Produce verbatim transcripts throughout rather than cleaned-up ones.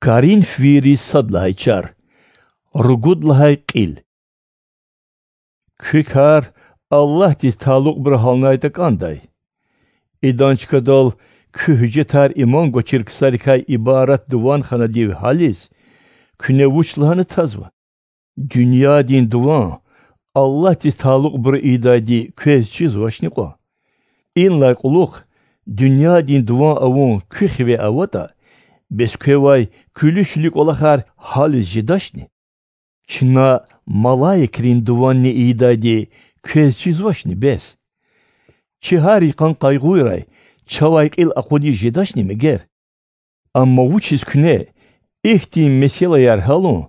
Коринфвийриз сад лагьай чар. Ругуд лагьай кьил. Куь кар Аллагьдиз талукьбуру гьалнайтӀа кӀандай. Идан чкадал куь гьуьжетар иман гвачир ксарикай ибарат дуван ханадив гьализ, куьне вуч лагьана тазва? Дуьньядин дуван Аллагьдиз талукьбуру ийидайди квез чизвачни кьван? Инлай кьулухъ дуьньядин дуван авун куь хиве аватӀа, бес квевай куьлуь-шуьлуь кӀвалахар гьализ жедачни? Чна малаикрин дуванни ийидайди квез чизвачни бес? Чи гьар йикъан къайгъуйрай чавай кьил акъудиз жедачни мегер? Амма вучиз куьне ихьтин месэлаяр гьялун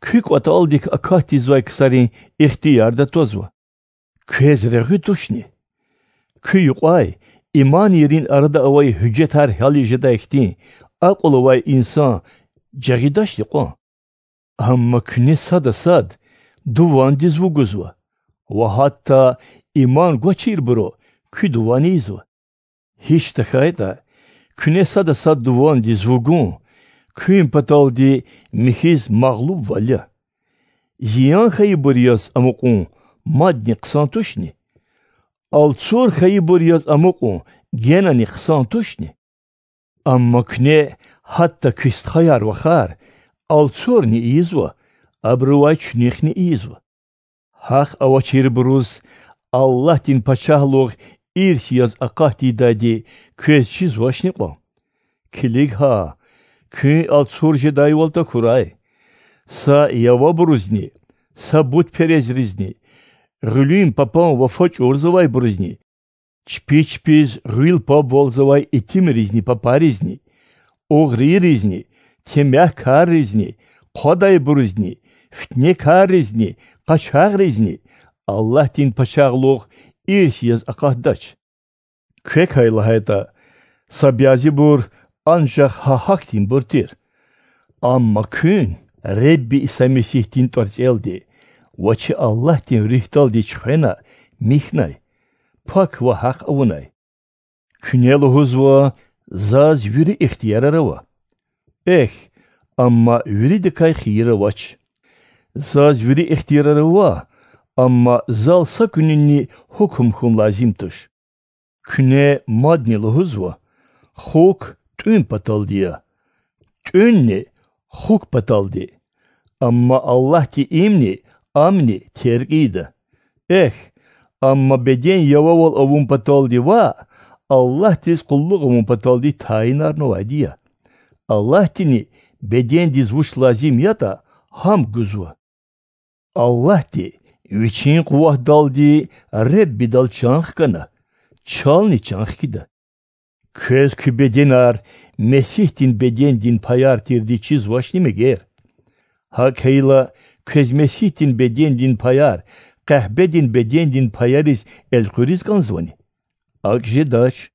куь кӀватӀалдик акатзавай ксарин ихтиярда твазва? Квез регъуь тушни? Куь юкьвай иманийрин арада авай гьуьжетар гьялиз жедай хьтин акьул авай инсан жагъидачни кьван? Амма куьне сада сад дувандиз вугузва ва гьатта иман гвачирбуру куь дуван ийизва. Гьич тахьайтӀа, куьне сада сад дувандиз вугун куьн паталди михьиз магълубвал я. Зиян хьайибур яз амукьун мадни хъсан тушни? Алцур хьайибур яз амукьун генани хъсан тушни? Амма куьне гьатта куь стхаяр-вахар алцурни ийизва, абурувай чуьнуьхни ийизва. Гьахъ авачирбуруз Аллагьдин пачагьлугъ ирс яз акъат тийидайди квез чизвачни кьван? Килиг гьа, куьн алцур жедайвал тахьурай. Са явабурузни, са бутперестризни, гъуьлуьн папан вафа чӀурзавайбурузни, чпи чпиз гъуьл пабвалзавай итимризни папаризни, угърийризни, темягькарризни, хъвадайбурузни, фитнекарризни, къачагъризни Аллагьдин пачагьлугъ ирс яз акъатдач. Квекай лагьайтӀа, са бязибур анжах гьа гьахьтинбур тир. Амма куьн Худа Исай Месигьдин тӀварцӀелди ва чи Аллагьдин Руьгьдалди чуьхвена михьнай, пак ва гьахъ авунай. Куьне лугьузва: заз вири ихтиярар ава. Эхь, амма виридакай хийир авач. Заз вири ихтиярар ава, амма зал са куьнинни гьукум хьун лазим туш. Куьне мадни лугьузва: хукв тӀуьн паталди я, тӀуьнни хукв паталди. Амма Аллагьди имни, амни терг ийида. Эхь, амма беден явавал авун паталди ваъ, Аллагьдиз къуллугъ авун паталди тайинарнавайди я. Аллагьдини бедендиз вуч лазим ятӀа, гьам гузва. Аллагьди Вичин къуватдалди Худадал чан хкана, чални чан хкида. Квез куь беденар Месигьдин бедендин паяр тирди чизвачни мегер? ГьакӀ хьайила, квез Месигьдин бедендин паяр къахбедин бедендин паяриз элкъуьриз кӀанзавани? АкӀ жедач.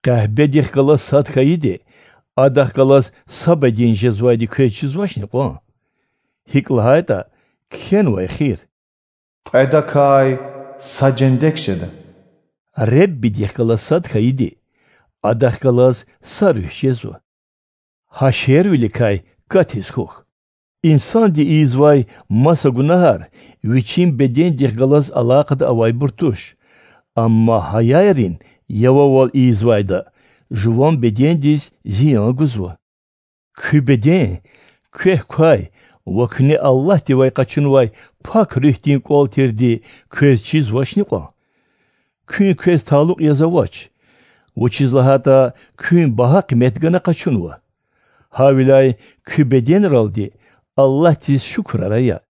Къахбедихъ галаз сад хьайиди адахъ галаз са беден жезвайди квез чизвачни кьван? ГьикӀ лагьайтӀа кхьенвай хийир: Кьведакай са жендек жеда. Худадихъ галаз сад хьайиди адахъ галаз са руьгь жезва. Гьа шервиликай катиз хьухь. Инсанди ийизвай маса гунагьар вичин бедендихъ галаз алакъада авайбур туш, амма гьаярин явавал ийизвайда жуван бедендиз зиян гузва. Куь беден квехъ квай ва куьне Аллагьдивай къачунвай Пак Руьгьдин кӀвал тирди квез чизвачни кьван? Куьн квез талукь яз авач, вучиз лагьайтӀа куьн багьа къимет гана къачунва. Гьавиляй куь беденралди Аллагьдиз шукурар ая.